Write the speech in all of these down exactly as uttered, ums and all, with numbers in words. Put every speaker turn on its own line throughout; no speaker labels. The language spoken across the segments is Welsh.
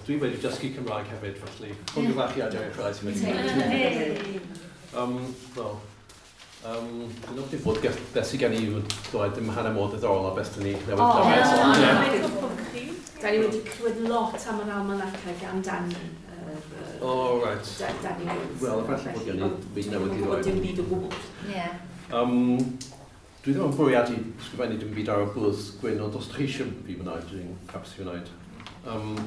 Dwi wedi dysgu Cymraeg hefyd, felly llongyfarchiadau i'r rhai sydd wedi gwneud. Um, Wel, um, dwi'n ofni bod beth sydd gen i yw dweud dim hanner mor ddiddorol a beth dyn ni newydd glywed.
Da ni wedi clywed lot am yr almanacau gan Danny.
Oh, right.
Danny Woods.
Wel, efallai bod gen i byd newydd i ddweud.
Dim byd o gwbl.
Ie.
Um, dwi ddim yn bwriadu sgrifennu dim byd ar y bwrdd gwyn, ond os chi eisiau fi wneud, dwi'n hapus i wneud. Um,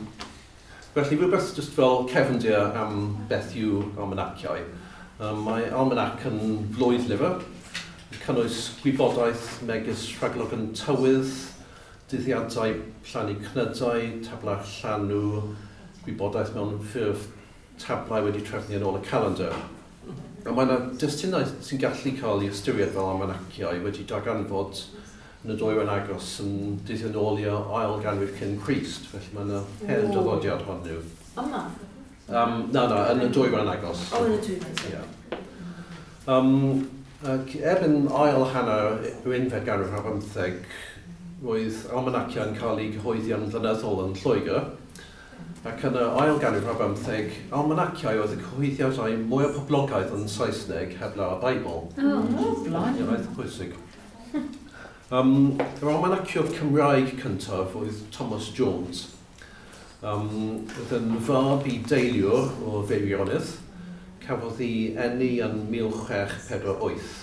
felly, rhywbeth just fel cefndir am beth yw almanaciau. Um, mae almanac yn flwyddlyfr, yn cynnwys gwybodaeth megis rhagolwg tywydd, dyddiadau plannu cnydau, tablau llanw, gwybodaeth mewn ffurf tablau wedi trefnu yn ôl y calendar. A mae yna destunau sy'n gallu cael ei ystyried fel almanaciau wedi darganfod yn y dwyrain agos yn dyddio nôl i'r ail ganrif cyn Crist, felly mae yna hen draddodiad hon nhw.
Yma?
Um, na, na, yn y dwyrain agos.
O, yn y dwyrain.
Yeah. Um, ac erbyn ail hanner yr unfed ganrif ar bymtheg, roedd almanaciau'n cael eu cyhoeddi yn flynyddol yn Lloegr, ac yn y ail ganrif ar bymtheg, almanaciau oedd y cyhoeddiadau mwyaf poblogaidd yn Saesneg heblaw y Beibl.
Oh,
blimey. Ie, eitha pwysig. Um, yr almanaciwr Cymraeg cyntaf oedd Thomas Jones. Um, oedd yn fab i deiliwr o Feirionnydd. Cafodd ei eni yn mil chwech pedwar wyth.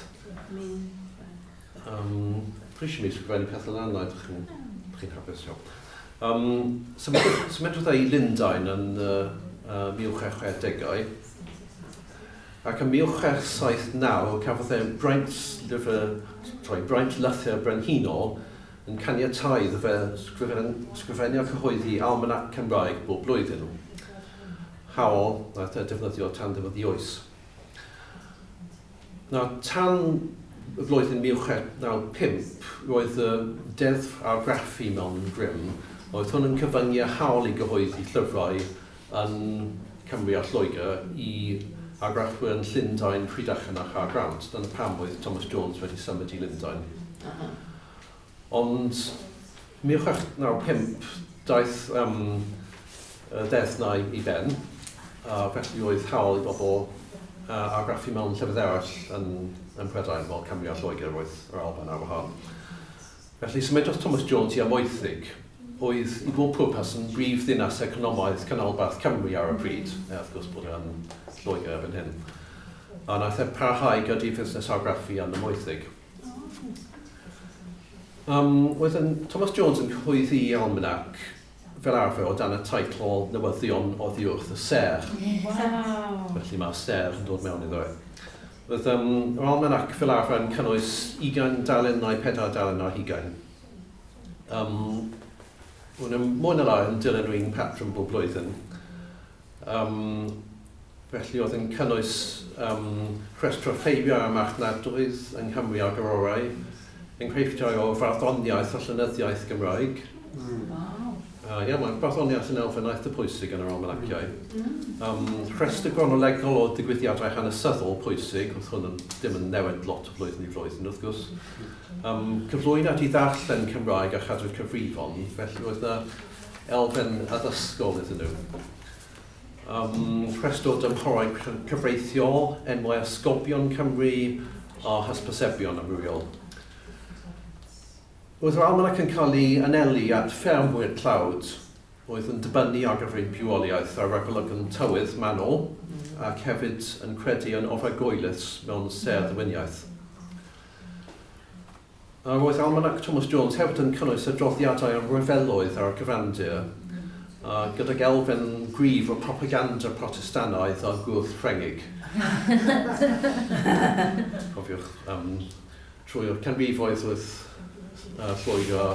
Um, Dwi eisiau mi sgrifennu pethau lan, na, ydych chi'n chi'n hapus iawn. Um, Symudodd e i Lundain yn uh, uh, mil chwech chwe degau. Ac yn mil chwech saith naw cafodd e braint lyfr, sorry, braint lythyr brenhinol yn caniatáu iddo fe sgrifennu a cyhoeddi almanac Cymraeg bob blwyddyn. Hawl nath e defnyddio tan ddiwedd ei oes. Nawr, tan y flwyddyn mil chwech naw pump, roedd y deddf argraffu mewn grym. Oedd hwn yn cyfyngu hawl i gyhoeddi llyfrau yn Cymru a Lloegr i argraffwyr yn Llundain, Rhydychen a Chaergrawnt. Dyna pam oedd Thomas Jones wedi symud i Lundain.
Uh-huh.
Ond mil chwech naw pump daeth um, y deddf na i ben, a felly oedd hawl i bobl uh, argraffu mewn llefydd eraill yn, yn Prydain, fel Cymru a Lloegr, roedd yr Alban ar wahân. Felly symudodd Thomas Jones i Amwythig, oedd i bob pwrpas yn brif ddinas economaidd canolbarth Cymru ar y pryd, e, wrth gwrs bod e'n Lloegr erbyn hyn. A naeth e parhau gyda'i fusnes argraffu yn Amwythig. Um, oedd yn, Thomas Jones yn cyhoeddi almanac fel arfer o dan y teitl Newyddion oddi wrth y Sêr.
Wow.
Felly mae'r sêr yn dod mewn iddo e. Oedd um, yr almanac fel arfer yn cynnwys ugain dalen neu pedair dalen ar hugain. Um, Mae'n mwy na lai yn dilyn yr un patrwm bob blwyddyn. Um, felly oedd yn cynnwys um, rhestr o ffeiriau a marchnadoedd yng Nghymru a'r Gororau, enghreifftiau o farddoniaeth a llenyddiaeth Gymraeg.
Mm. Wow.
Uh, ie, mae barddoniaeth yn elfen eitha pwysig yn yr almanaciau.
Mm.
Um, rhestr gronolegol o digwyddiadau hanesyddol pwysig, oedd hwn yn, ddim yn newid lot o flwyddyn i flwyddyn, wrth gwrs. Um, cyflwyniad i ddarllen Cymraeg a chadw'r cyfrifon, felly oedd yna elfen addysgol iddyn nhw. Um, rhestr o dymhorau cyfreithiol, enwau esgobion Cymru a hysbysebion amrywiol. Oedd yr almanac yn cael ei anelu at ffermwyr tlawd, oedd yn dibynnu ar gyfer eu bywoliaeth ar ragolygon tywydd manwl, ac hefyd yn credu yn ofergoelus mewn sêr ddewiniaeth. A roedd almanac Thomas Jones hefyd yn cynnwys adroddiadau am ryfeloedd ar y cyfandir, uh, gydag elfen gryf o propaganda Protestannaidd a gwrth Ffrengig. Cofiwch, um, trwy'r canrifoedd oedd uh, Lloegr a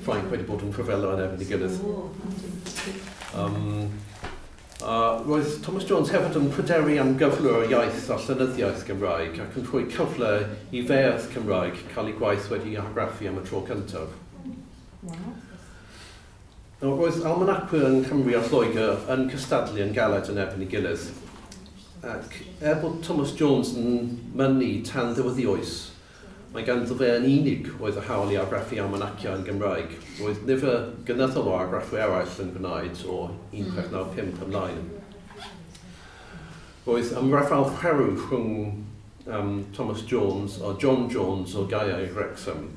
Ffrainc wedi bod yn rhyfela yn erbyn ei gilydd. Um, uh, roedd Thomas Jones hefyd yn pryderu am gyflwr iaith a llenyddiaeth Gymraeg ac yn rhoi cyfle i feirdd Cymraeg cael eu gwaith wedi argraffu am y tro cyntaf.
Wow.
Nawr, roedd almanacwyr yng Nghymru a Lloegr yn cystadlu yn galed yn erbyn ei gilydd. Ac er bod Thomas Jones yn mynnu tan ddiwedd ei oes, Mae ganddo fe yn unig oedd y hawl i argraffu almanaciau yn Gymraeg. Roedd nifer gynyddol o argraffu eraill yn gwneud o un chwech naw pump ymlaen. Roedd ymrafael chwerw rhwng um, Thomas Jones a John Jones o Gaeau Wrexham.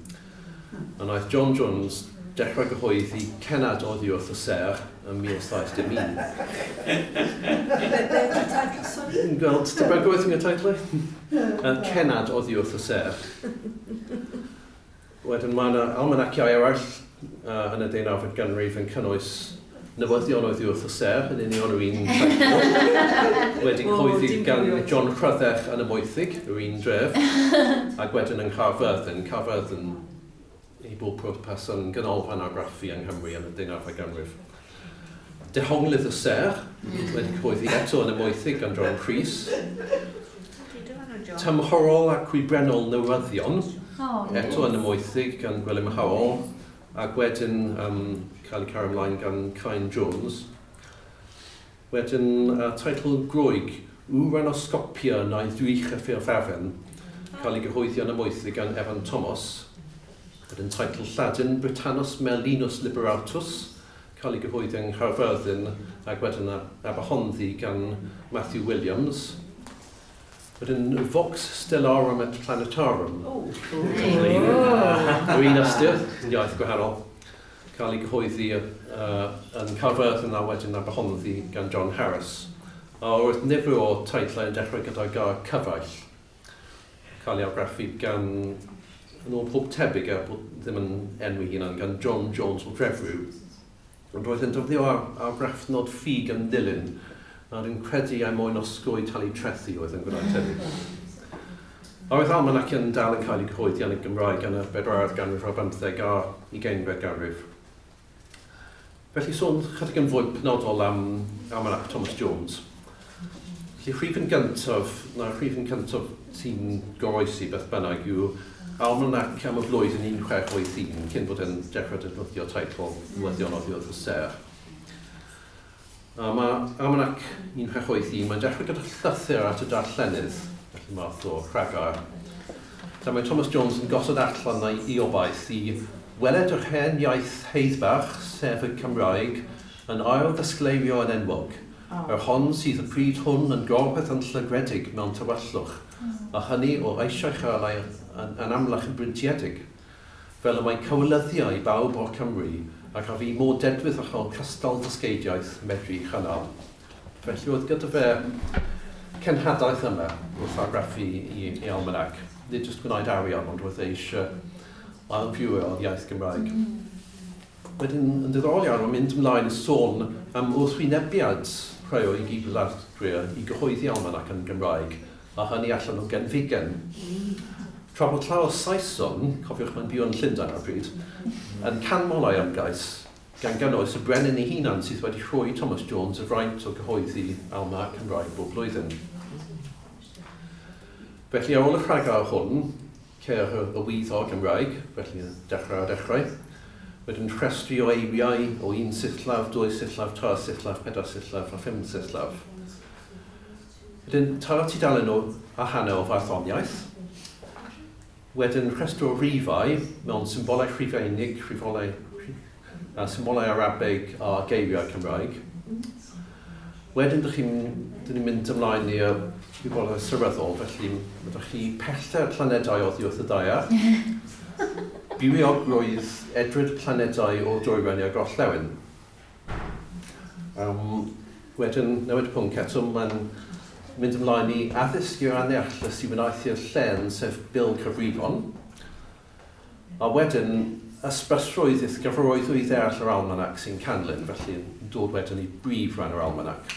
A wnaeth John Jones dechrau gyhoeddi Cennad oddi wrth y ser ym mil saith dim un.
Be ydy teitl, sori?
Yn gweld tebygrwydd yn y teitl? Cennad oddi wrth y ser. Wedyn mae yna almanaciau eraill uh, yn y deunawfed ganrif yn cynnwys newyddion oddi wrth y ser, yn union yr un teitl. Wedi cyhoeddi gan John Rhyddech yn y Moethig, yr un dref, ac wedyn yng Nghaerfyrddin. Caerfyrddin i bob pwrpas yn ganolfan argraffu yng Nghymru yn y deunawfed ganrif. Dehonglydd y Ser, wedi cyhoeddi eto yn y Moethig gan John Rhys. Tymhorol a Chwibrennol Newyddion,
oh,
eto yn y Moethig gan Gwilym Howell, ac wedyn um, cael ei cario ymlaen gan Cain Jones. Wedyn uh, teitl Groeg, Uranoscopia neu Ddrych y Ffurfafen, cael ei gyhoeddi yn y Moethig gan Evan Thomas. Wedyn teitl Lladin, Britannos Merlinus Liberatus, cael ei gyhoeddi yng Nghaerfyrddin ac wedyn Aberhonddu gan Matthew Williams. Wedyn Vox Stellarum et Planetarum.
Oh.
Yr un ystyr, iaith gwahanol, cael ei gyhoeddi uh, yn Caerfyrddin a wedyn Aberhonddu gan John Harris. A roedd nifer o teitlau yn dechrau gyda gair cyfaill, cael ei argraffu gan, yn ôl pob tebyg, er bod ddim yn enwi hunan, gan John Jones o Drefrw. Ond roedd yn defnyddio argraffnod ffug yn ddilyn, a dwi'n credu er mwyn osgoi talu trethi oedd yn gwneud hynny. A roedd almanaciau'n dal yn cael ei cyhoeddi yn y Gymraeg yn y bedwaredd ganrif ar bymtheg a ugeinfed ganrif. Felly sôn chydig yn fwy penodol am almanac Thomas Jones. Felly rhifyn gyntaf, na rhifyn cyntaf sy'n goroesi beth bynnag yw almanac am y flwyddyn un chwech wyth un, cyn bod e'n dechrau defnyddio teitl Newyddion oddi wrth y Ser. A mae almanac un chwech wyth un, mae'n dechrau gyda llythyr at y darllenydd, felly math o rhagair. Lle mae Thomas Jones yn gosod allan ei obaith i weled yr hen iaith heiddbach, sef y Cymraeg, yn ail ddisgleirio yn enwog.
Oh.
Yr hon sydd y pryd hwn yn gorbeth yn llygredig mewn tywyllwch, a hynny o eisiau chael ei yn, yn amlach yn brintiedig, fel y mae cywilyddiau i bawb o'r Cymru ac a fi mor dedwydd a chael cystal dysgeidiaeth medru chynnal. Felly oedd gyda fe cenhadaeth yma wrth argraffu i, i almanac. Nid jyst gwneud arian, ond roedd e eisiau ailfywio'r iaith Gymraeg. Wedyn, yn diddorol iawn, mae'n mynd ymlaen i sôn am wrthwynebiad rhai o'i gydwladwyr i gyhoeddi almanac yn Gymraeg, a hynny allan o genfigen. Tra bod llawer o Saeson, cofiwch mae'n byw yn Llundain ar y pryd, yn canmol ei ymgais, gan gynnwys y brenin ei hunan sydd wedi rhoi Thomas Jones y fraint o gyhoeddi almanac Cymraeg bob blwyddyn. Felly ar ôl y rhagair hwn, ceir y wyddor Gymraeg, felly dechrau ar dechrau, wedyn rhestru o eiriau o un sillaf, dwy sillaf, tair sillaf, pedair sillaf a phum sillaf. Wedyn tair tudalen o a hanner o farddoniaeth. Wedyn rhestr o rifau mewn symbolau Rhufeinig, rhifolau, a symbolau Arabeg a geiriau Cymraeg. Wedyn dych chi'n dyn ni'n mynd ymlaen i'r wybodaeth seryddol, felly ydych chi pellter planedau oddi wrth y daear. Bywiogrwydd edryd planedau o'r dwyrain i'r gorllewin. Um, wedyn, newid pwnc eto, mae'n mynd ymlaen i addysg i'r anneallus i wnaethu'r llen, sef Bil Cyfrifon. A wedyn, ysbrysrwydd i'th gyfarwyddwyd ddeall yr almanac sy'n canlyn, felly dod wedyn i brif ran yr almanac,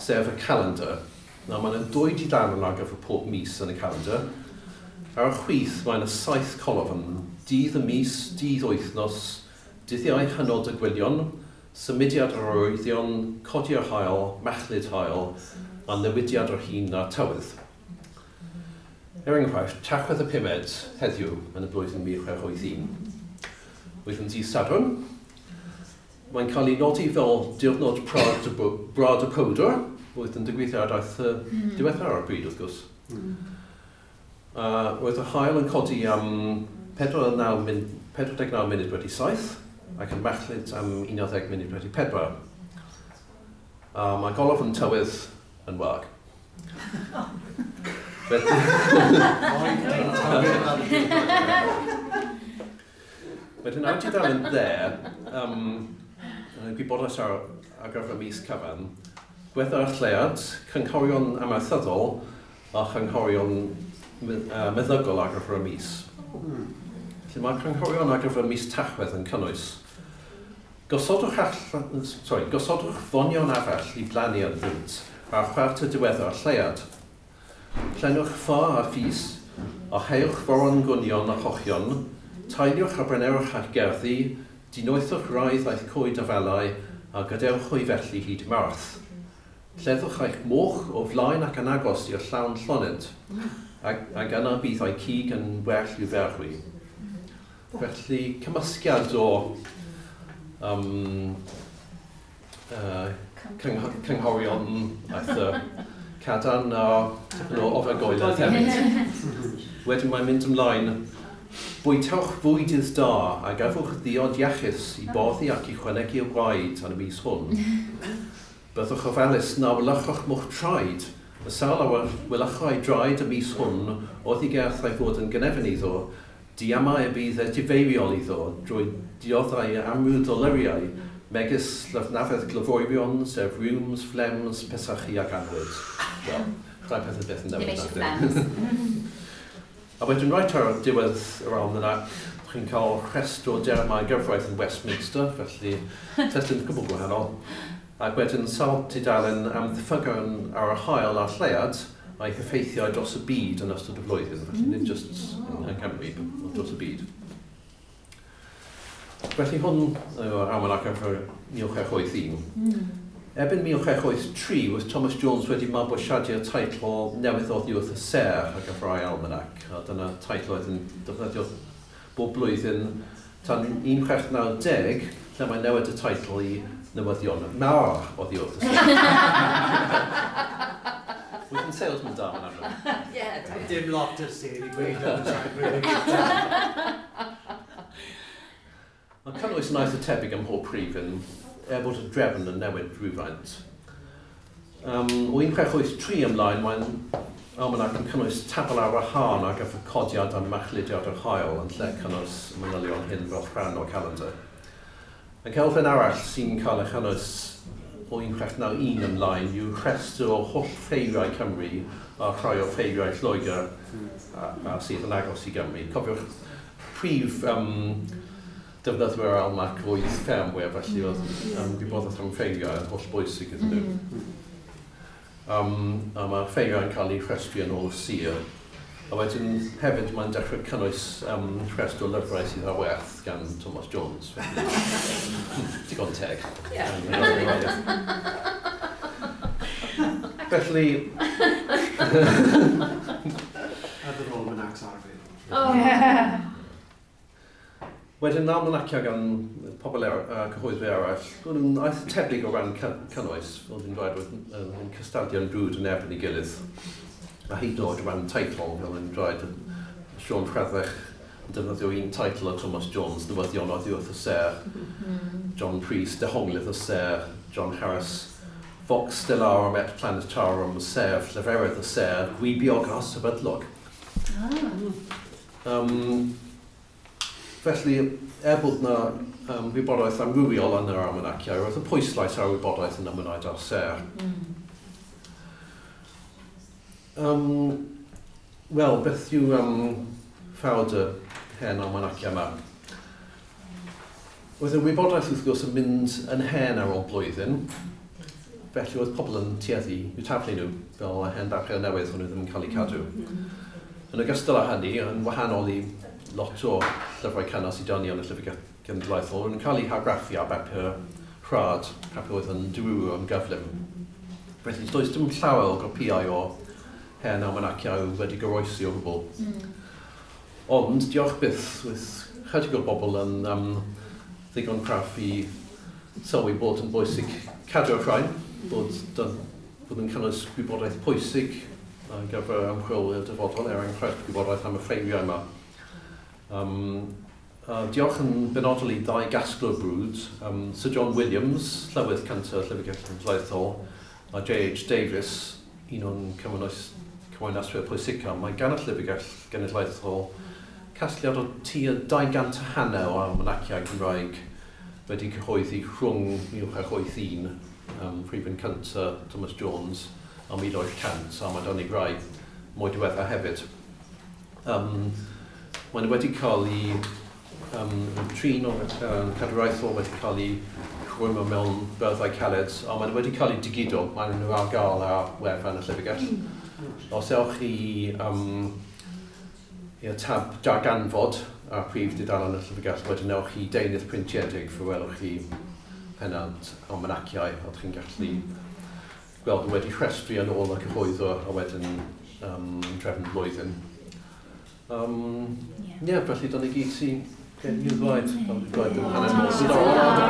sef y calendar. Nawr, mae'n dwy dudalen ar gyfer pob mis yn y calendar. Ar y chwith, mae yna saith colofn: dydd y mis, dydd wythnos, dyddiau hynod y gwylion, symudiad yr arwyddion, codi'r haul, machlud haul, a newidiad yr hin a'r tywydd. Er enghraifft, Tachwedd y pumed heddiw yn y blwyddyn mil chwech wyth un. Oedd yn dydd Sadwrn. Mae'n cael ei nodi fel diwrnod Brad y, Brad y Powdwr, oedd yn digwydd ar daith mm. diwethaf ar y bryd, wrth gwrs. Mm. Uh, roedd yr haul yn codi am pedwar deg naw munud wedi saith ac yn machlud am un ar ddeg munud wedi pedwar. A mae golofn tywydd yn wag. Felly, wedyn ar tudalen dde, um, gwybodaeth ar, ar gyfer y mis cyfan, gwedda'r lleuad, cynghorion amaethyddol a chynghorion uh, meddygol ar gyfer y mis. Felly mae cynghorion ar gyfer mis Tachwedd yn cynnwys: Gosodwch, all, sorry, gosodwch fonion afall i blannu ynddynt ar chwarter diwedda'r lleuad. Plennwch ffa a phys, a heuwch foron gwynion a chochion, tailiwch a brenewch eich gerddi, dinoethwch wraidd eich coed afalau, a gadewch hwy felly hyd Mawrth. Lleddwch eich moch o flaen ac yn agos i'r llawn llonydd, ac, ac yna bydd eu cig yn well i'w ferwi. Felly, cymysgiad o um, uh, cynghorion eitha cadarn a tipyn o ofergoeledd hefyd. Wedyn mae'n mynd ymlaen. Bwytewch fwydydd da a gafwch ddiod iachus i boddi ac i chwanegu o gwaed yn y mis hwn. Byddwch ofalus na wlychwch mo'ch traed. Y sawl a wlychai draed y mis hwn oddi gerth ei fod yn gynefin iddo, diamau y bydd edifeiriol iddo drwy dioddau amryw doluriau, megis llyfnafedd glyfoerion, sef rheums, phlegms, pesychu ac annwyd. Wel, rhai pethau byth yn
Ddim
newid.
eisiau
Nag ydyn?
Phlegms.
A wedyn reit ar diwedd yr almanac, chi'n cael rhestr o dermau gyfraith yn Westminster, felly testun gwbl gwahanol. Ac wedyn sawl tudalen am ddiffygion ar yr haul a'r lleuad a'i heffeithiau dros y byd yn ystod y flwyddyn. Felly nid just yng Nghymru, ond dros y byd. Felly hwn yw'r almanac ar gyfer mil chwech wyth un.
Mm.
Erbyn mil chwech wyth tri, oedd Thomas Jones wedi mabwysiadu'r teitl newydd oddi wrth y ser ar gyfer ei almanac. A dyna teitl oedd yn defnyddio bob blwyddyn tan un chwech naw zero, lle mae'n newid y teitl i Newyddion Mawr oddi wrth y ser. Wyt yn salesman da, mae'n amlwg.
Ie.
Dim lot o'r sêr i gweud am y tra'n.
Mae cynnwys yn eitha tebyg ym mhob rhifyn, er bod y drefn yn newid rhywfaint. Um, o un chwech wyth tri ymlaen, mae'n almanac yn cynnwys tabl ar wahân ar gyfer codiad a machludiad yr haul yn lle cynnwys manylion hyn fel rhan o'r calendar. Ac elfen arall sy'n cael ei chynnwys o un chwech naw un ymlaen yw rhestr o holl ffeiriau Cymru a rhai o ffeiriau Lloegr a, a sydd yn agos i Gymru. Cofiwch, prif um, defnyddwyr almanac oedd ffermwyr, felly oedd um, gwybodaeth am ffeiriau yn holl bwysig iddyn nhw.
Mm.
Um, a mae ffeiriau'n cael eu rhestru yn ôl y sir. A wedyn hefyd mae'n dechrau cynnwys um, rhestr o lyfrau sydd ar werth gan Thomas Jones. Felly, digon teg.
Ie.
Felly,
Other almanacs arfer.
Oh.
Wedyn almanaciau gan pobl er, uh, cyhoeddwyr eraill, nhw'n nhw'n eitha tebyg o ran cy- cynnwys, fel dwi'n dweud, oedd yn, yn cystadlu'n brwd yn erbyn ei gilydd. A hyd yn oed o ran teitl, fel yn dweud, Siôn Rhydderch yn defnyddio un teitl o Thomas Jones, Newyddion oddi wrth y Ser,
Mm.
John Prys, Dehonglydd y Ser, John Harris, Vox Stellarum et Planetarum, sef Lleferydd y Ser, Gwibiog a Sefydlog.
Ah.
Um, felly, er bod na um, wybodaeth amrywiol yn yr almanaciau, roedd y pwyslais ar wybodaeth yn ymwneud â'r ser.
Mm.
Um, Wel, beth yw um, ffawd y hen almanaciau yma? Oedd y wybodaeth wrth gwrs yn mynd yn hen ar ôl blwyddyn, felly oedd pobl yn tueddu i'w taflu nhw fel y hen bapur newydd hwnnw ddim yn cael eu cadw.
Mm.
Yn ogystal â hynny, yn wahanol i lot o llyfrau cynnar sydd 'da ni yn y Llyfrgell Genedlaethol, yn cael eu hargraffu ar bapur rhad, papur oedd yn dirywio yn gyflym. Felly does dim llawer o gopïau o hen almanaciau wedi goroesi o gwbl.
Mm.
Ond, diolch byth, with chydig o bobl yn um, ddigon craff i sylwi bod yn bwysig cadw'r rhain, bod, dyn, bod yn cynnwys gwybodaeth pwysig ar gyfer ymchwil i'r dyfodol, er enghraifft gwybodaeth am y ffeiriau yma. Um, uh, diolch yn benodol i ddau gasglwr brwd, um, Sir John Williams, llywydd cyntaf Llyfrgell Genedlaethol, a J H Davies, un o'n cymwynaswyr pwysica. Mae gan y Llyfrgell Genedlaethol casgliad o tua dau gant a hanner o almanaciau Cymraeg wedi cyhoeddi rhwng mil chwech wyth un, um, rhifyn cyntaf Thomas Jones, a mil wyth cant, a mae 'da ni rai mwy diweddar hefyd. Um, Maen nhw wedi cael eu um, trin o'r um, cadwraethol, wedi cael eu rhwymo mewn byrddau caled, a maen nhw wedi cael eu digido, maen nhw ar gael ar wefan y llyfrgell. Os ewch chi um, i'r tab darganfod ar prif dudalen y llyfrgell, wedyn ewch chi deunydd printiedig, fe welwch chi pennawd almanaciau, a chi'n gallu gweld nhw wedi rhestru yn ôl y cyhoeddwr a wedyn um, trefn blwyddyn. Um, yeah. yeah, felly dyna gyd sy'n gen i ddweud. Fel dwi'n dweud, dim hanner mor diddorol.